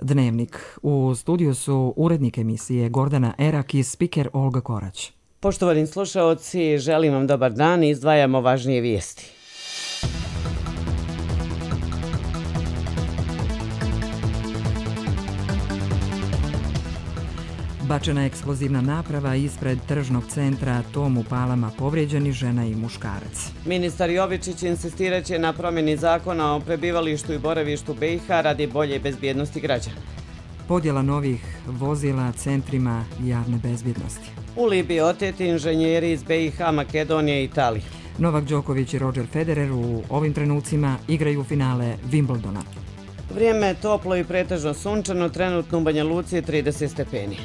Dnevnik. U studiju su urednik emisije Gordana Erak i spiker Olga Korać. Poštovani slušaoci, želim vam dobar dan i izdvajamo važnije vijesti. Bačena eksplozivna naprava ispred tržnog centra Tom u Palama, povrijeđeni žena i muškarac. Ministar Jovičić insistiraće na promjeni zakona o prebivalištu i boravištu BiH radi bolje bezbjednosti građana. Podjela novih vozila centrima javne bezbjednosti. U Libiji oteti inženjeri iz BiH, Makedonije i Italije. Novak Đoković i Roger Federer u ovim trenucima igraju finale Wimbledona. Vrijeme je toplo i pretežno sunčano, trenutno u Banja Luci je 30 stepeni.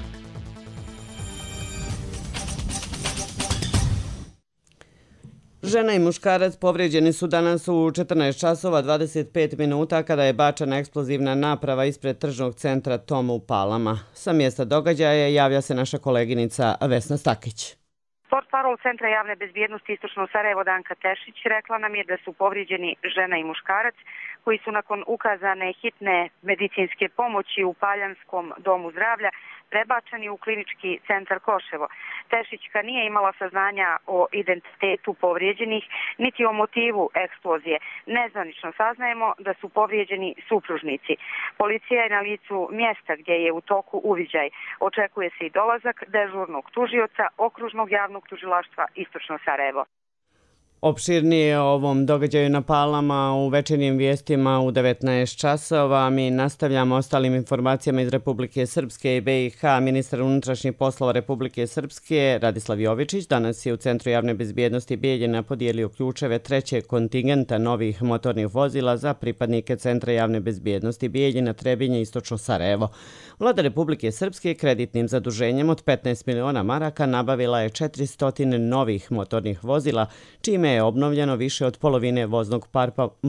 Žena i muškarac povrijeđeni su danas u 14 časova 25 minuta kada je bačena eksplozivna naprava ispred tržnog centra Tom u Palama. Sa mjesta događaja javlja se naša koleginica Vesna Stakić. Portparol Centra javne bezbjednosti Istočno Sarajevo Danka Tešić rekla nam je da su povrijeđeni žena i muškarac koji su nakon ukazane hitne medicinske pomoći u Paljanskom domu zdravlja prebačeni u klinički centar Koševo. Tešićka nije imala saznanja o identitetu povrijeđenih niti o motivu eksplozije. Nezvanično saznajemo da su povrijeđeni supružnici. Policija je na licu mjesta gdje je u toku uviđaj. Očekuje se i dolazak dežurnog tužioca Okružnog javnog tužilaštva Istočno Sarajevo. Opširnije o ovom događaju na Palama u večernjim vijestima u 19 časova. Mi nastavljamo ostalim informacijama iz Republike Srpske i BiH. Ministar unutrašnjih poslova Republike Srpske Radislav Jovičić danas je u Centru javne bezbjednosti Bijeljina podijelio ključeve trećeg kontingenta novih motornih vozila za pripadnike Centra javne bezbjednosti Bijeljina, Trebinje i Istočno Sarajevo. Vlada Republike Srpske kreditnim zaduženjem od 15 miliona maraka nabavila je 400 novih motornih vozila, čime je obnovljeno više od polovine voznog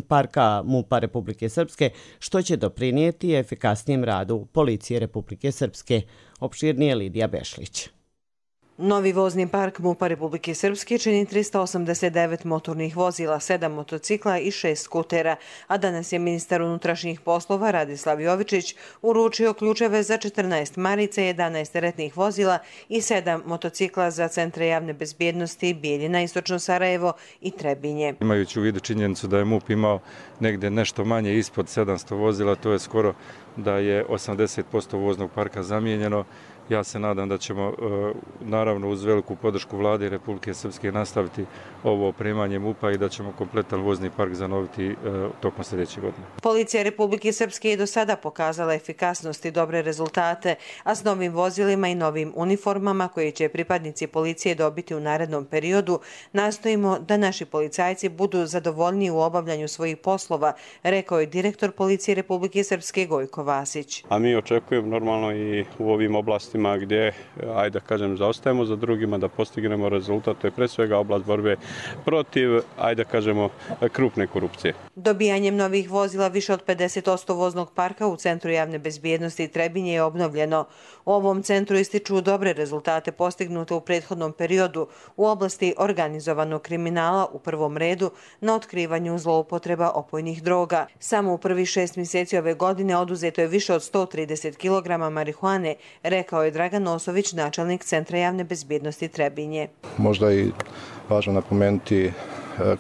parka MUP-a Republike Srpske, što će doprinijeti efikasnijem radu Policije Republike Srpske. Opširnije Lidija Bešlić. Novi vozni park MUP-a Republike Srpske čini 389 motornih vozila, 7 motocikla i 6 skutera, a danas je ministar unutrašnjih poslova Radislav Jovičić uručio ključeve za 14 marica, 11 teretnih vozila i 7 motocikla za Centre javne bezbjednosti Bijeljina, Istočno Sarajevo i Trebinje. Imajući u vidu činjenicu da je MUP imao negdje nešto manje ispod 700 vozila, to je skoro da je 80% voznog parka zamijenjeno. Ja se nadam da ćemo, naravno uz veliku podršku Vlade Republike Srpske, nastaviti ovo opremanje MUP-a i da ćemo kompletan vozni park zanoviti tokom sljedeće godine. Policija Republike Srpske je do sada pokazala efikasnost i dobre rezultate, a s novim vozilima i novim uniformama koje će pripadnici policije dobiti u narednom periodu, nastojimo da naši policajci budu zadovoljniji u obavljanju svojih poslova, rekao je direktor Policije Republike Srpske Gojko Vasić. A mi očekujemo normalno i u ovim oblastima gdje, ajde da kažem, zaostajemo za drugima da postignemo rezultat, to je pre svega oblast borbe protiv, ajde da kažemo, krupne korupcije. Dobijanjem novih vozila više od 50% voznog parka u Centru javne bezbjednosti i Trebinje je obnovljeno. U ovom centru ističu dobre rezultate postignute u prethodnom periodu u oblasti organizovanog kriminala u prvom redu na otkrivanju zloupotreba opojnih droga. Samo u prvih 6 mjeseci ove godine oduzeto je više od 130 kg marihuane, rekao je Dragan Osović, načelnik Centra javne bezbjednosti Trebinje. Možda i važno napomenuti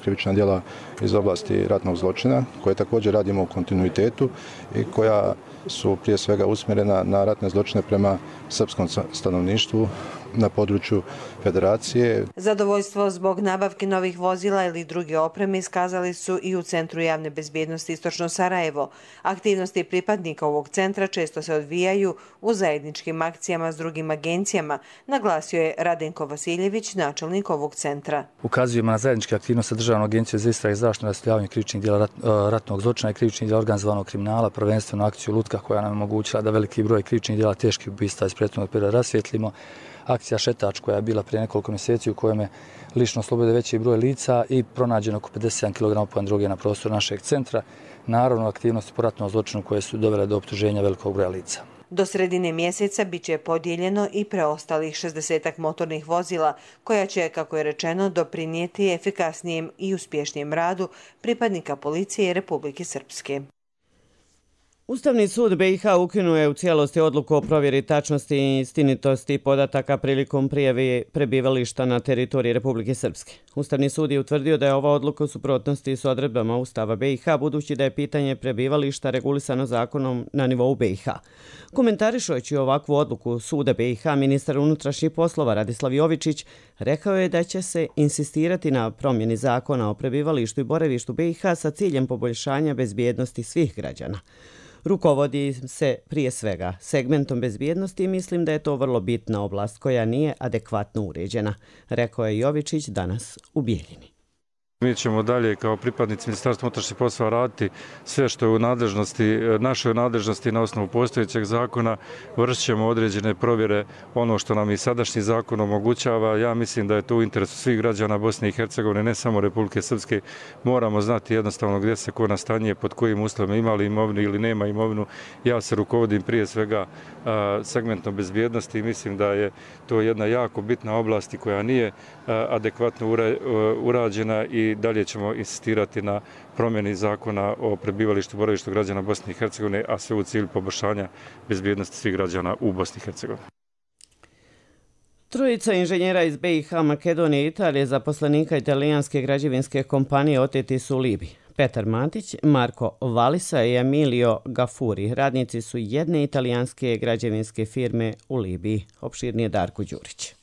krivična djela iz oblasti ratnog zločina, koje također radimo u kontinuitetu i koja su prije svega usmjerena na ratne zločine prema srpskom stanovništvu na području Federacije. Zadovoljstvo zbog nabavke novih vozila ili druge opreme iskazali su i u Centru javne bezbjednosti Istočno Sarajevo. Aktivnosti pripadnika ovog centra često se odvijaju u zajedničkim akcijama s drugim agencijama, naglasio je Radenko Vasiljević, načelnik ovog centra. Ukazujemo na zajedničke aktivnosti Državne agencije za istrage i zaštitu i rasvjetljavanje krivičnih djela ratnog zločina i krivičnih djela organizovanog kriminala, prvenstveno akciju Lutka koja nam je omogućila da veliki broj krivičnih djela teških ubistva iz prethodnog perioda rasvijetlimo. Akcija Šetač koja je bila prije nekoliko mjeseci u kojem je lično oslobodio veći broj lica i pronađeno oko 57 kg opojne droge na prostoru našeg centra. Naravno, aktivnosti po ratnom zločinu koje su dovele do optuženja velikog broja lica. Do sredine mjeseca biće podijeljeno i preostalih 60 motornih vozila koja će, kako je rečeno, doprinijeti efikasnijem i uspješnijem radu pripadnika Policije Republike Srpske. Ustavni sud BiH ukinuo je u cijelosti odluku o provjeri tačnosti i istinitosti podataka prilikom prijave prebivališta na teritoriji Republike Srpske. Ustavni sud je utvrdio da je ova odluka u suprotnosti s odredbama Ustava BiH, budući da je pitanje prebivališta regulisano zakonom na nivou BiH. Komentarišujući ovakvu odluku suda BiH, ministar unutrašnjih poslova Radislav Jovičić rekao je da će se insistirati na promjeni zakona o prebivalištu i boravištu BiH sa ciljem poboljšanja bezbjednosti svih građana. Rukovodi se prije svega segmentom bezbjednosti i mislim da je to vrlo bitna oblast koja nije adekvatno uređena, rekao je Jovičić danas u Bijeljini. Mi ćemo dalje kao pripadnici Ministarstva unutrašnjih poslova raditi sve što je u našoj nadležnosti na osnovu postojećeg zakona, vršit ćemo određene provjere, ono što nam i sadašnji zakon omogućava. Ja mislim da je to u interesu svih građana Bosne i Hercegovine, ne samo Republike Srpske. Moramo znati jednostavno gdje se ko nastanjuje, pod kojim uslovima, ima li imovinu ili nema imovinu. Ja se rukovodim prije svega segmentom bezbjednosti i mislim da je to jedna jako bitna oblast koja nije adekvatno urađena i dalje ćemo insistirati na promjeni zakona o prebivalištu i boravištu građana Bosne i Hercegovine, a sve u cilju poboljšanja bezbjednosti svih građana u Bosni i Hercegovini. Trojica inženjera iz BiH, Makedonije i Italije, zaposlenika italijanske građevinske kompanije, oteti su u Libiji. Petar Matić, Marko Valisa i Emilio Gafuri, radnici su jedne italijanske građevinske firme u Libiji. Opširnije Darko Đurić.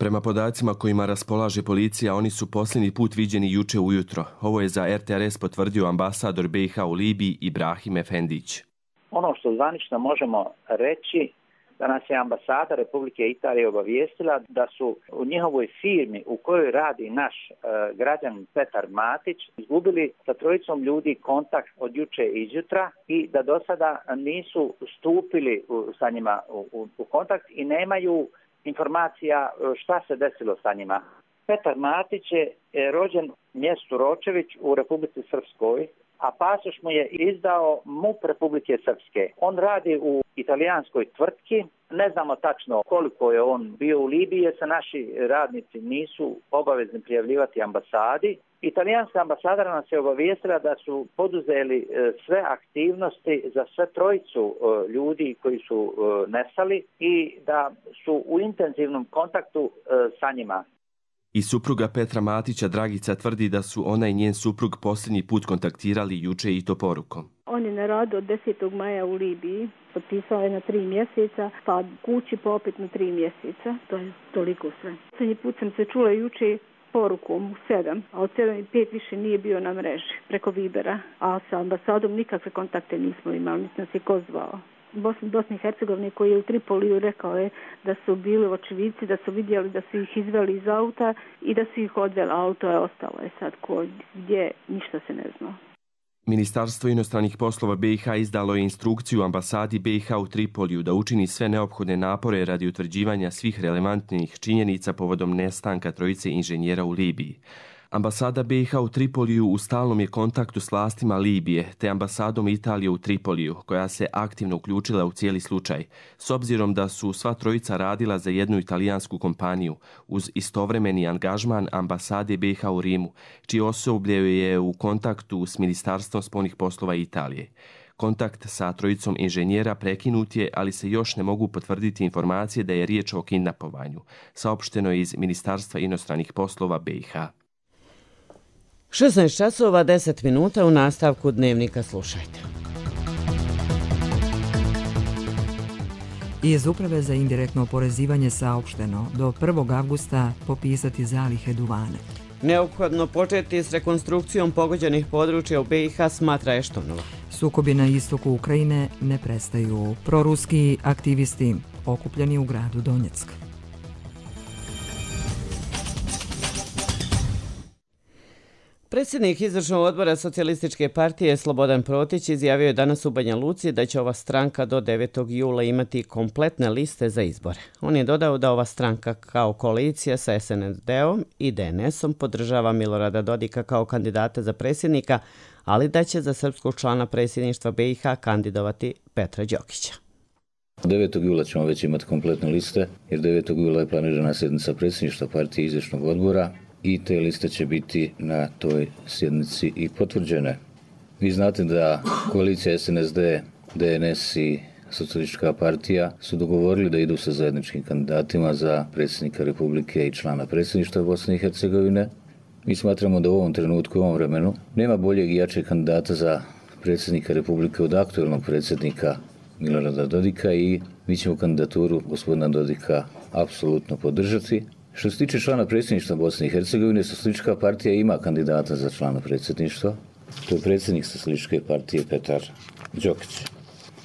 Prema podacima kojima raspolaže policija, oni su posljednji put viđeni juče ujutro. Ovo je za RTRS potvrdio ambasador BiH u Libiji Ibrahim Efendić. Ono što zvanično možemo reći da nas je ambasada Republike Italije obavijestila da su u njihovoj firmi u kojoj radi naš građanin Petar Matić izgubili sa trojicom ljudi kontakt od juče izjutra i da do sada nisu stupili sa njima u kontakt i nemaju informacija šta se desilo sa njima. Petar Matić je rođen u mjestu Ročević u Republici Srpskoj, a pasoš mu je izdao MUP Republike Srpske. On radi u italijanskoj tvrtki, ne znamo tačno koliko je on bio u Libiji, jer se naši radnici nisu obavezni prijavljivati ambasadi. Italijanska ambasadora nas je obavijestila da su poduzeli sve aktivnosti za sve trojicu ljudi koji su nestali i da su u intenzivnom kontaktu sa njima. I supruga Petra Matića, Dragica, tvrdi da su ona i njen suprug posljednji put kontaktirali juče i to porukom. On je na radu od 10. maja u Libiji, potpisao je na 3 mjeseca, pa kući pa opet na 3 mjeseca, to je toliko sve. Posljednji put sam se čula juče porukom u 7, a od 7:05 više nije bio na mreži preko Vibera, a sa ambasadom nikakve kontakte nismo imali, niti nas je ko zvao. Bosni i Hercegovine koji je u Tripoliju rekao je da su bili očevici, da su vidjeli da su ih izveli iz auta i da su ih odveli, auto je ostalo je sad gdje, ništa se ne zna. Ministarstvo inostranih poslova BiH izdalo je instrukciju ambasadi BiH u Tripoliju da učini sve neophodne napore radi utvrđivanja svih relevantnih činjenica povodom nestanka trojice inženjera u Libiji. Ambasada BiH u Tripoliju u stalnom je kontaktu s vlastima Libije te ambasadom Italije u Tripoliju, koja se aktivno uključila u cijeli slučaj, s obzirom da su sva trojica radila za jednu italijansku kompaniju uz istovremeni angažman ambasade BiH u Rimu, čije osoblje je u kontaktu s Ministarstvom spoljnih poslova Italije. Kontakt sa trojicom inženjera prekinut je, ali se još ne mogu potvrditi informacije da je riječ o kidnapovanju, saopšteno je iz Ministarstva inostranih poslova BiH. 16 časova 10 minuta, u nastavku Dnevnika slušajte. Iz Uprave za indirektno oporezivanje saopšteno do 1. avgusta popisati zalihe duvana. Neophodno početi s rekonstrukcijom pogođenih područja u BiH, smatra Eštonova. Sukobi na istoku Ukrajine ne prestaju. Proruski aktivisti okupljeni u gradu Donjeck. Predsjednik izvršnog odbora Socijalističke partije Slobodan Protić izjavio je danas u Banja Luci da će ova stranka do 9. jula imati kompletne liste za izbore. On je dodao da ova stranka kao koalicija sa SNSD-om i DNS-om podržava Milorada Dodika kao kandidata za predsjednika, ali da će za srpskog člana predsjedništva BiH kandidovati Petra Đokića. 9. jula ćemo već imati kompletne liste, jer 9. jula je planirana sjednica predsjedništva partije izvršnog odbora i te liste će biti na toj sjednici i potvrđene. Vi znate da koalicija SNSD DNS i Socijalistička partija su dogovorili da idu sa zajedničkim kandidatima za predsjednika Republike i člana predsjedništva Bosne i Hercegovine. Mi smatramo da u ovom trenutku, u ovom vremenu, nema boljeg i jačeg kandidata za predsjednika Republike od aktualnog predsjednika Milorada Dodika i mi ćemo kandidaturu gospodina Dodika apsolutno podržati. Što se tiče člana predsjedništva Bosne i Hercegovine, Socijalistička partija ima kandidata za člana predsjedništva. To je predsjednik Socijalističke partije Petar Đokić.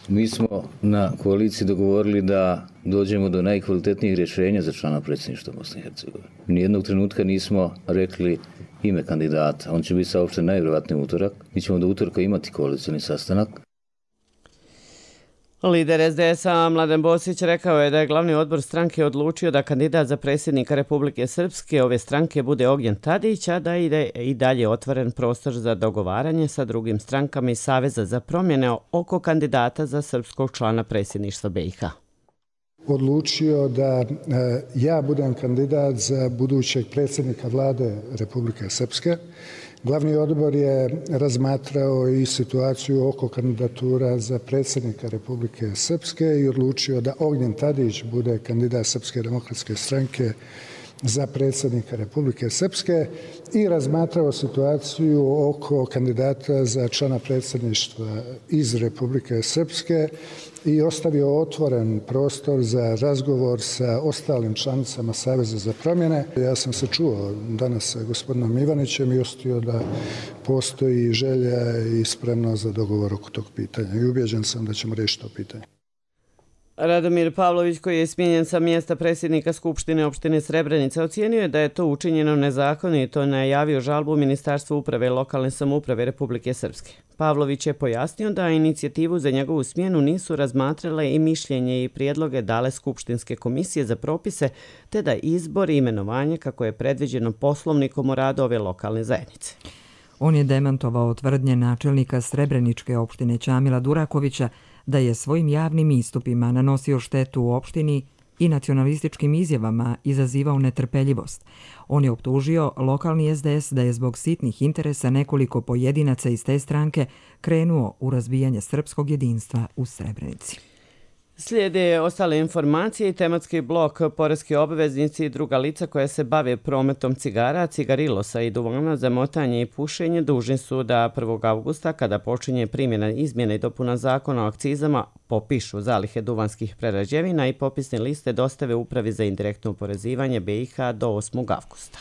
Mi smo na koaliciji dogovorili da dođemo do najkvalitetnijih rješenja za člana predsjedništva Bosne i Hercegovine. Nijednog trenutka nismo rekli ime kandidata. On će biti saopšten najvjerojatniji utorak. Mi ćemo do utorka imati koalicioni sastanak. Lider SDS-a Mladen Bosić rekao je da je glavni odbor stranke odlučio da kandidat za predsjednika Republike Srpske ove stranke bude Ognjen Tadić, a da je i dalje otvoren prostor za dogovaranje sa drugim strankama iz Saveza za promjene oko kandidata za srpskog člana predsjedništva BiH. Odlučio da ja budem kandidat za budućeg predsjednika vlade Republike Srpske. Glavni odbor je razmatrao i situaciju oko kandidatura za predsjednika Republike Srpske i odlučio da Ognjen Tadić bude kandidat Srpske demokratske stranke za predsjednika Republike Srpske i razmatrao situaciju oko kandidata za člana predsjedništva iz Republike Srpske i ostavio otvoren prostor za razgovor sa ostalim članicama Saveza za promjene. Ja sam se čuo danas sa gospodinom Ivanićem i ostio da postoji želja i spremnost za dogovor oko tog pitanja i ubjeđen sam da ćemo riješiti to pitanje. Radomir Pavlović, koji je smijenjen sa mjesta predsjednika Skupštine opštine Srebrenica, ocijenio je da je to učinjeno nezakonito i najavio žalbu Ministarstvu uprave i lokalne samouprave Republike Srpske. Pavlović je pojasnio da inicijativu za njegovu smjenu nisu razmatrale i mišljenje i prijedloge dale Skupštinske komisije za propise, te da izbor i imenovanje kako je predviđeno Poslovnikom o radu ove lokalne zajednice. On je demantovao tvrdnje načelnika Srebreničke opštine Ćamila Durakovića da je svojim javnim istupima nanosio štetu u opštini i nacionalističkim izjavama izazivao netrpeljivost. On je optužio lokalni SDS da je zbog sitnih interesa nekoliko pojedinaca iz te stranke krenuo u razbijanje srpskog jedinstva u Srebrenici. Slijede ostale informacije i tematski blok poreski obveznici i druga lica koja se bave prometom cigara, cigarilosa i duvana za motanje i pušenje dužni su da 1. avgusta, kada počinje primjena izmjena i dopuna zakona o akcizama, popišu zalihe duvanskih prerađevina i popisne liste dostave Upravi za indirektno oporezivanje BiH do 8. avgusta.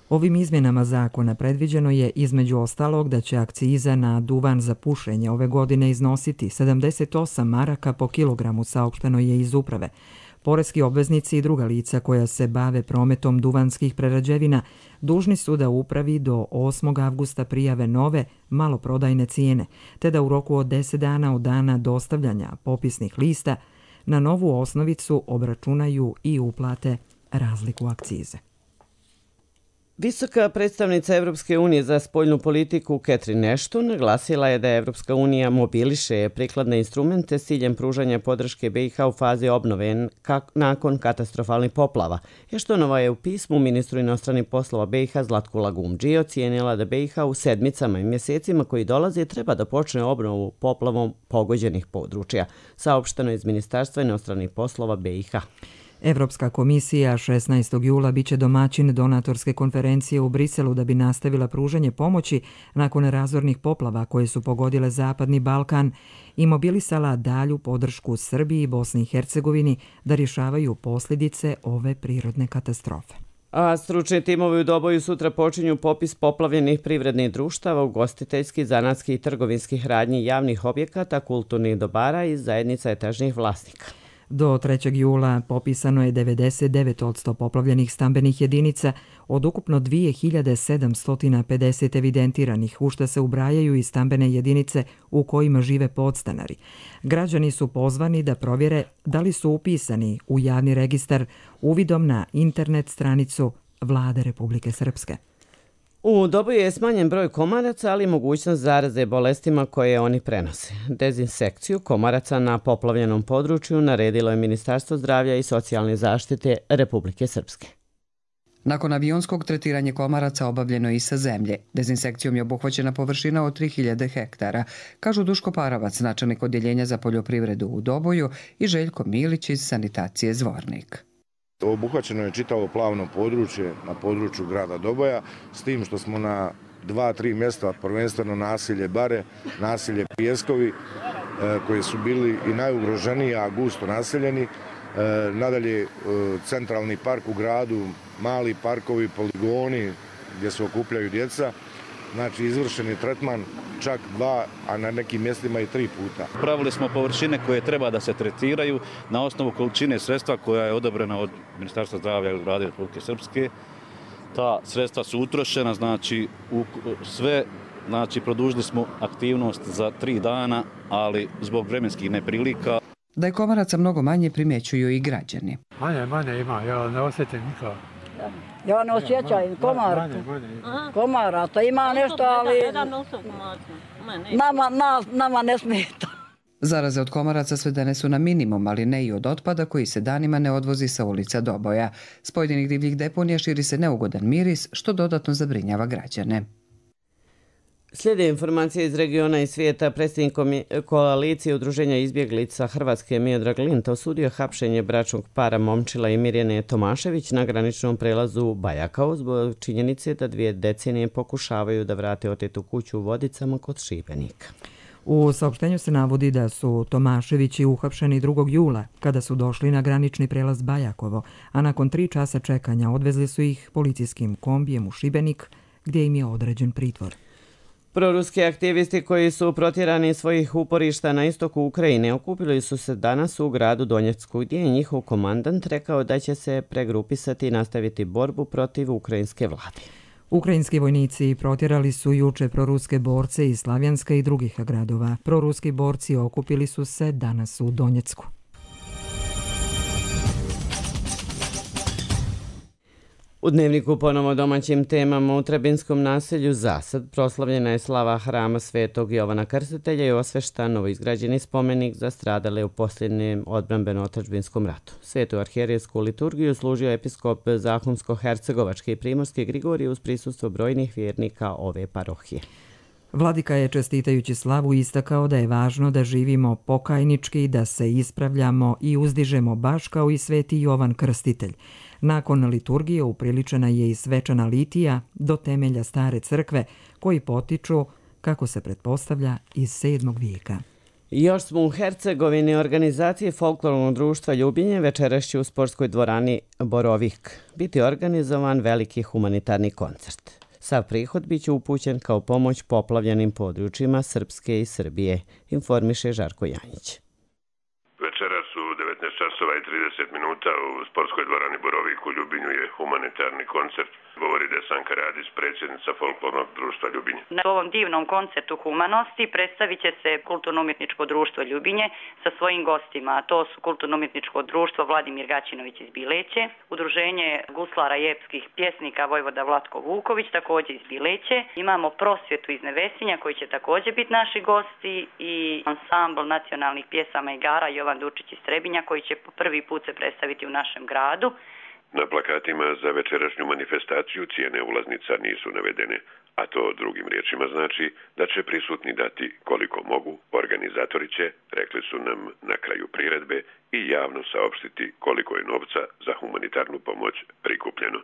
Ovim izmjenama zakona predviđeno je između ostalog da će akciza na duvan za pušenje ove godine iznositi 78 maraka po kilogramu, saopšteno je iz uprave. Poreski obveznici i druga lica koja se bave prometom duvanskih prerađevina dužni su da upravi do 8. avgusta prijave nove maloprodajne cijene, te da u roku od 10 dana od dana dostavljanja popisnih lista na novu osnovicu obračunaju i uplate razliku akcize. Visoka predstavnica Evropske unije za spoljnu politiku Catherine Ashton naglasila je da Evropska unija mobiliše prikladne instrumente s ciljem pružanja podrške BiH u fazi obnove nakon katastrofalnih poplava. Ashtonova je u pismu ministru inostranih poslova BiH Zlatku Lagumdži ocijenila da BiH u sedmicama i mjesecima koji dolaze treba da počne obnovu poplavom pogođenih područja, saopšteno iz Ministarstva inostranih poslova BiH. Evropska komisija 16. jula biće domaćin donatorske konferencije u Briselu da bi nastavila pružanje pomoći nakon razornih poplava koje su pogodile Zapadni Balkan i mobilisala dalju podršku Srbiji i Bosni i Hercegovini da rješavaju posljedice ove prirodne katastrofe. A stručni timovi u Doboju sutra počinju popis poplavljenih privrednih društava, ugostiteljskih, zanatskih i trgovinskih radnji, javnih objekata, kulturnih dobara i zajednica etažnih vlasnika. Do 3. jula popisano je 99% poplavljenih stambenih jedinica od ukupno 2750 evidentiranih, u što se ubrajaju i stambene jedinice u kojima žive podstanari. Građani su pozvani da provjere da li su upisani u javni registar uvidom na internet stranicu Vlade Republike Srpske. U Doboju je smanjen broj komaraca, ali i mogućnost zaraze bolestima koje oni prenose. Dezinsekciju komaraca na poplavljenom području naredilo je Ministarstvo zdravlja i socijalne zaštite Republike Srpske. Nakon avionskog tretiranja komaraca obavljeno je i sa zemlje. Dezinsekcijom je obuhvaćena površina od 3000 hektara, kažu Duško Paravac, načelnik odjeljenja za poljoprivredu u Doboju, i Željko Milić iz sanitacije Zvornik. Obuhvaćeno je čitavo plavno područje na području grada Doboja, s tim što smo na 2-3 mjesta, prvenstveno naselje Bare, naselje Pijeskovi, koji su bili i najugroženiji, a gusto naseljeni. Nadalje, centralni park u gradu, mali parkovi, poligoni gdje se okupljaju djeca. Znači, izvršen je tretman čak 2, a na nekim mjestima i 3 puta. Pravili smo površine koje treba da se tretiraju na osnovu količine sredstva koja je odobrena od Ministarstva zdravlja i Vlade Republike Srpske. Ta sredstva su utrošena, znači sve, znači produžili smo aktivnost za 3 dana, ali zbog vremenskih neprilika. Da je komaraca mnogo manje primjećuju i građani. Manje ima, ja ne osjetim nikako. Ja ne osjećam komaraca, ima nešto, ali nama ne smeta. Zaraze od komaraca svedene su na minimum, ali ne i od otpada koji se danima ne odvozi sa ulica Doboja. S pojedinih divljih deponija širi se neugodan miris, što dodatno zabrinjava građane. Slijede informacije iz regiona i svijeta. Predsjednik koalicije udruženja izbjeglica Hrvatske Miodrag Linta osudio hapšenje bračnog para Momčila i Mirjane Tomašević na graničnom prelazu Bajakao zbog činjenice da 2 decenije pokušavaju da vrate otetu kuću u Vodicama kod Šibenika. U saopštenju se navodi da su Tomaševići uhapšeni 2. jula kada su došli na granični prelaz Bajakovo, a nakon 3 časa čekanja odvezli su ih policijskim kombijem u Šibenik gdje im je određen pritvor. Proruski aktivisti koji su protjerani iz svojih uporišta na istoku Ukrajine okupili su se danas u gradu Donjecku, gdje je njihov komandant rekao da će se pregrupisati i nastaviti borbu protiv ukrajinske vlade. Ukrajinski vojnici protjerali su juče proruske borce iz Slavjanska i drugih gradova. Proruski borci okupili su se danas u Donjecku. U Dnevniku ponovo domaćim temama. U Trebinskom naselju Zasad proslavljena je slava hrama Svetog Jovana Krstitelja i osveštan novoizgrađeni spomenik za stradale u posljednjem odbrambeno-otadžbinskom ratu. Svetu arhijerejsku liturgiju služio episkop Zahumsko-hercegovački i primorski Grigorije uz prisustvo brojnih vjernika ove parohije. Vladika je čestitajući slavu istakao da je važno da živimo pokajnički, da se ispravljamo i uzdižemo baš kao i Sveti Jovan Krstitelj. Nakon liturgije upriličena je i svečana litija do temelja stare crkve, koji potiču, kako se pretpostavlja, iz 7. vijeka. Još smo u Hercegovini. Organizacije Folklornog društva Ljubinje večeras će u sportskoj dvorani Borovik biti organizovan veliki humanitarni koncert. Sav prihod biće upućen kao pomoć poplavljenim područjima Srpske i Srbije, informiše Žarko Janjić. Večeras u 19 časova i 30 minuta u sportskoj dvorani Borovik u Ljubinju je humanitarni koncert. Govori Desanka Radić, predsjednica Folklornog društva Ljubinje. Na ovom divnom koncertu humanosti predstavit će se Kulturno-umjetničko društvo Ljubinje sa svojim gostima, a to su Kulturno-umjetničko društvo Vladimir Gaćinović iz Bileće, Udruženje guslara i epskih pjesnika Vojvoda Vlatko Vuković, također iz Bileće. Imamo Prosvjetu iz Nevesinja koji će također biti naši gosti i ansambl nacionalnih pjesama i igara Jovan Durčić iz Trebinja koji će po prvi put se predstaviti u našem gradu. Na plakatima za večerašnju manifestaciju cijene ulaznica nisu navedene, a to drugim riječima znači da će prisutni dati koliko mogu. Organizatori će, rekli su nam na kraju priredbe, i javno saopštiti koliko je novca za humanitarnu pomoć prikupljeno.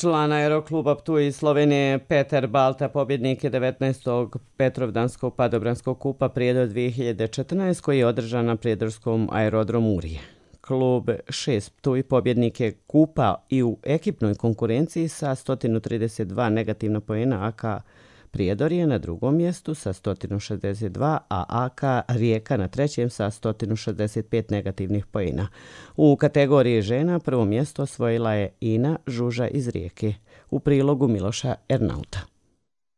Član aerokluba Ptuj iz Slovenije Peter Balta pobjednik je 19. Petrovdanskog padobranskog kupa Prijedor 2014 koji je održan na prijedorskom aerodromu Urije. Klub 6 Ptuj pobjednik je kupa i u ekipnoj konkurenciji sa 132 negativna poena, AK Prijedor je na drugom mjestu sa 162, a AK Rijeka na trećem sa 165 negativnih poena. U kategoriji žena prvo mjesto osvojila je Ina Žuža iz Rijeke, u prilogu Miloša Ernauta.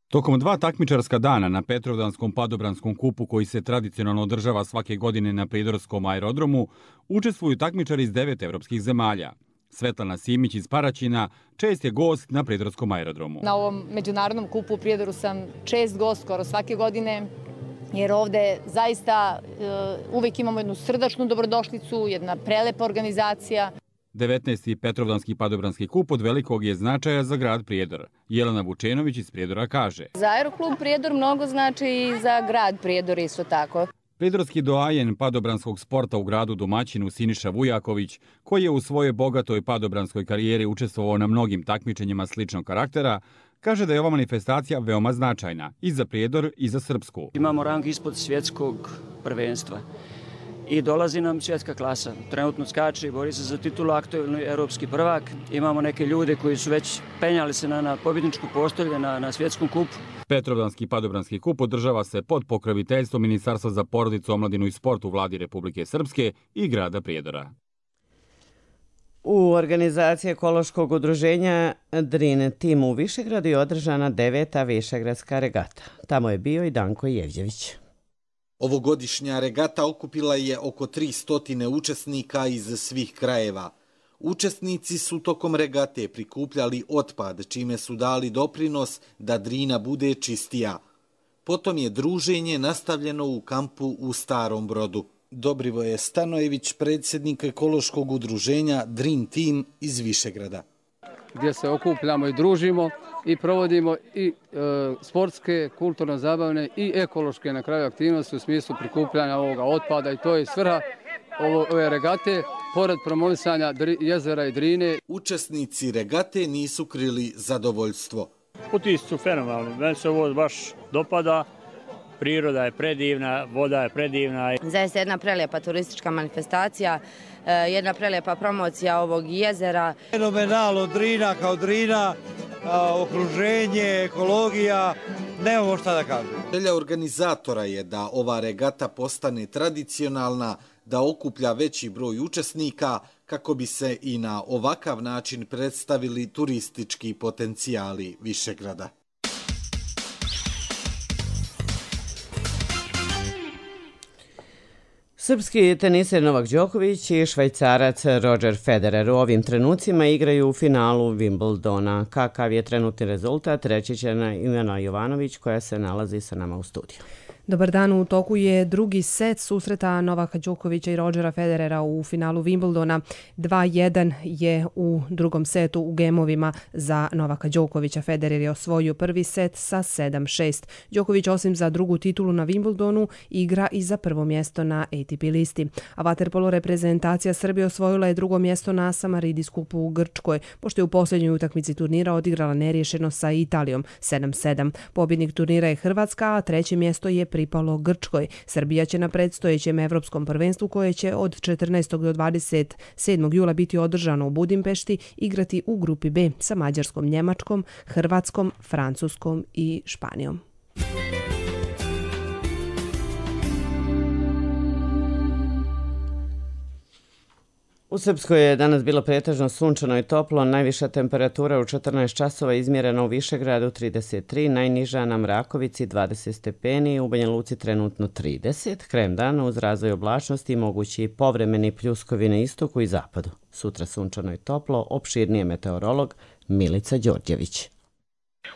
Tokom 2 takmičarska dana na Petrovdanskom padobranskom kupu koji se tradicionalno održava svake godine na prijedorskom aerodromu, učestvuju takmičari iz 9 evropskih zemalja. Svetlana Simić iz Paraćina čest je gost na prijedorskom aerodromu. Na ovom međunarodnom kupu u Prijedoru sam čest gost skoro svake godine, jer ovde zaista uvek imamo jednu srdačnu dobrodošlicu, jedna prelepa organizacija. 19. Petrovdanski padobranski kup od velikog je značaja za grad Prijedor. Jelena Vučenović iz Prijedora kaže: Za Aeroklub Prijedor mnogo znači i za grad Prijedor isto tako. Prijedorski doajen padobranskog sporta u gradu domaćinu Siniša Vujaković, koji je u svojoj bogatoj padobranskoj karijeri učestvovao na mnogim takmičenjima sličnog karaktera, kaže da je ova manifestacija veoma značajna i za Prijedor i za Srpsku. Imamo rang ispod svjetskog prvenstva i dolazi nam svjetska klasa. Trenutno skače i bori se za titulu aktuelni europski prvak. Imamo neke ljude koji su već penjali se na pobjedničku postolje na svjetskom kupu. Petrovdanski padobranski kup održava se pod pokroviteljstvom Ministarstva za porodicu, omladinu i sport u vladi Republike Srpske i grada Prijedora. U organizaciji ekološkog udruženja Dream Team u Višegradu je održana 9. Višegradska regata. Tamo je bio i Danko Jevđević. Ovogodišnja regata okupila je oko 300 učesnika iz svih krajeva. Učesnici su tokom regate prikupljali otpad, čime su dali doprinos da Drina bude čistija. Potom je druženje nastavljeno u kampu u Starom Brodu. Dobrivoje Stanojević, predsjednik ekološkog udruženja Dream Team iz Višegrada. Gdje se okupljamo i družimo i provodimo i sportske, kulturno-zabavne i ekološke na kraju aktivnosti u smislu prikupljanja ovoga otpada i to je svrha ove regate, pored promovisanja jezera i Drine. Učesnici regate nisu krili zadovoljstvo. Utisci su fenomenalni, meni se ovo baš dopada. Priroda je predivna, voda je predivna. Zaista jedna prelijepa turistička manifestacija, jedna prelijepa promocija ovog jezera. Fenomenalno, Drina kao Drina, okruženje, ekologija, nemamo šta da kažem. Želja organizatora je da ova regata postane tradicionalna, da okuplja veći broj učesnika kako bi se i na ovakav način predstavili turistički potencijali Višegrada. Srpski teniser Novak Đoković i švajcarac Roger Federer u ovim trenucima igraju u finalu Wimbledona. Kakav je trenutni rezultat, reći će Ivana Jovanović koja se nalazi sa nama u studiju. Dobar dan, u toku je drugi set susreta Novaka Đokovića i Rogera Federera u finalu Wimbledona. 2-1 je u drugom setu u gemovima za Novaka Đokovića. Federer je osvojio prvi set sa 7-6. Đoković osim za drugu titulu na Wimbledonu igra i za prvo mjesto na ATP listi. A vaterpolo reprezentacija Srbije osvojila je drugo mjesto na Samaridis kupu u Grčkoj, pošto je u posljednjoj utakmici turnira odigrala neriješeno sa Italijom 7-7. Pobjednik turnira je Hrvatska, a treće mjesto je pripalo Grčkoj. Srbija će na predstojećem evropskom prvenstvu koje će od 14. do 27. jula biti održano u Budimpešti igrati u grupi B sa Mađarskom, Njemačkom, Hrvatskom, Francuskom i Španijom. U Srpskoj je danas bilo pretežno sunčano i toplo, najviša temperatura u 14 časova izmjerena u Višegradu 33, najniža na Mrakovici 20 stepeni, u Banja Luci trenutno 30, krajem dana uz razvoj oblačnosti mogući povremeni pljuskovi na istoku i zapadu. Sutra sunčano i toplo, opširnije meteorolog Milica Đorđević.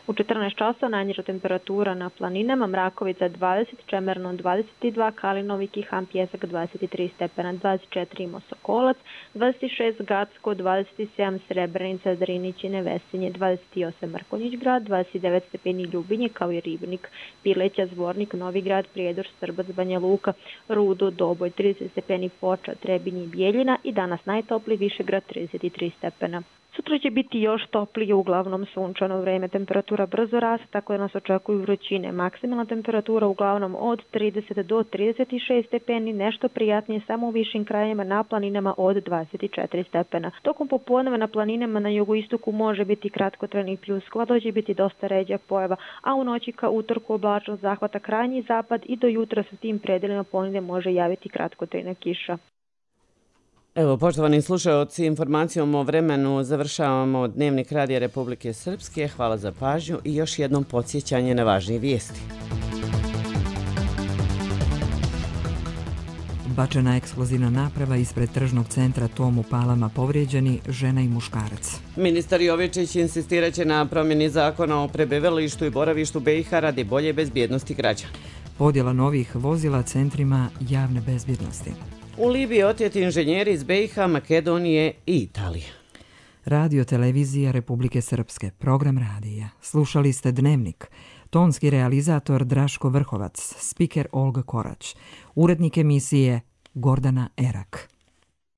U 14 časova najniža temperatura na planinama, Mrakovica 20, Čemerno 22, Kalinov, Kihan, Pjesak 23 stepena, 24 Imosokolac, 26 Gacko, 27 Srebrenica, Drinić i Nevesinje, 28 Mrkonjić grad, 29 stepeni Ljubinje kao i Ribnik, Pileća, Zvornik, Novi grad, Prijedor, Strbac, Banja Luka, Rudo, Doboj, 30 stepeni Foča, Trebinje i Bijeljina i danas najtopliji Višegrad 33 stepena. Sutra će biti još toplije, uglavnom sunčano vreme, temperatura brzo raste, tako da nas očekuju vrućine. Maksimalna temperatura uglavnom od 30 do 36 stepeni, nešto prijatnije samo u višim krajevima, na planinama od 24 stepena. Tokom popodneva na planinama na jugoistoku može biti kratkotrajnih pljuskova, doće biti dosta ređa pojava, a u noći ka utorku oblačnost zahvata krajnji zapad i do jutra sa tim predelima ponegdje može javiti kratkotrajna kiša. Evo, poštovani slušaoci, informacijom o vremenu završavamo Dnevnik Radija Republike Srpske. Hvala za pažnju i još jednom podsjećanje na važnije vijesti. Bačena eksplozivna naprava ispred tržnog centra Tom u Palama, povrijeđeni žena i muškarac. Ministar Jovičić insistiraće na promjeni zakona o prebivalištu i boravištu BiH radi bolje bezbjednosti građana. podjela novih vozila centrima javne bezbjednosti. U Libiji oteti inženjeri iz BiH, Makedonije i Italije. Radio televizija Republike Srpske, program radija. Slušali ste Dnevnik. Tonski realizator Draško Vrhovac, spiker Olga Korać, urednik emisije Gordana Erak.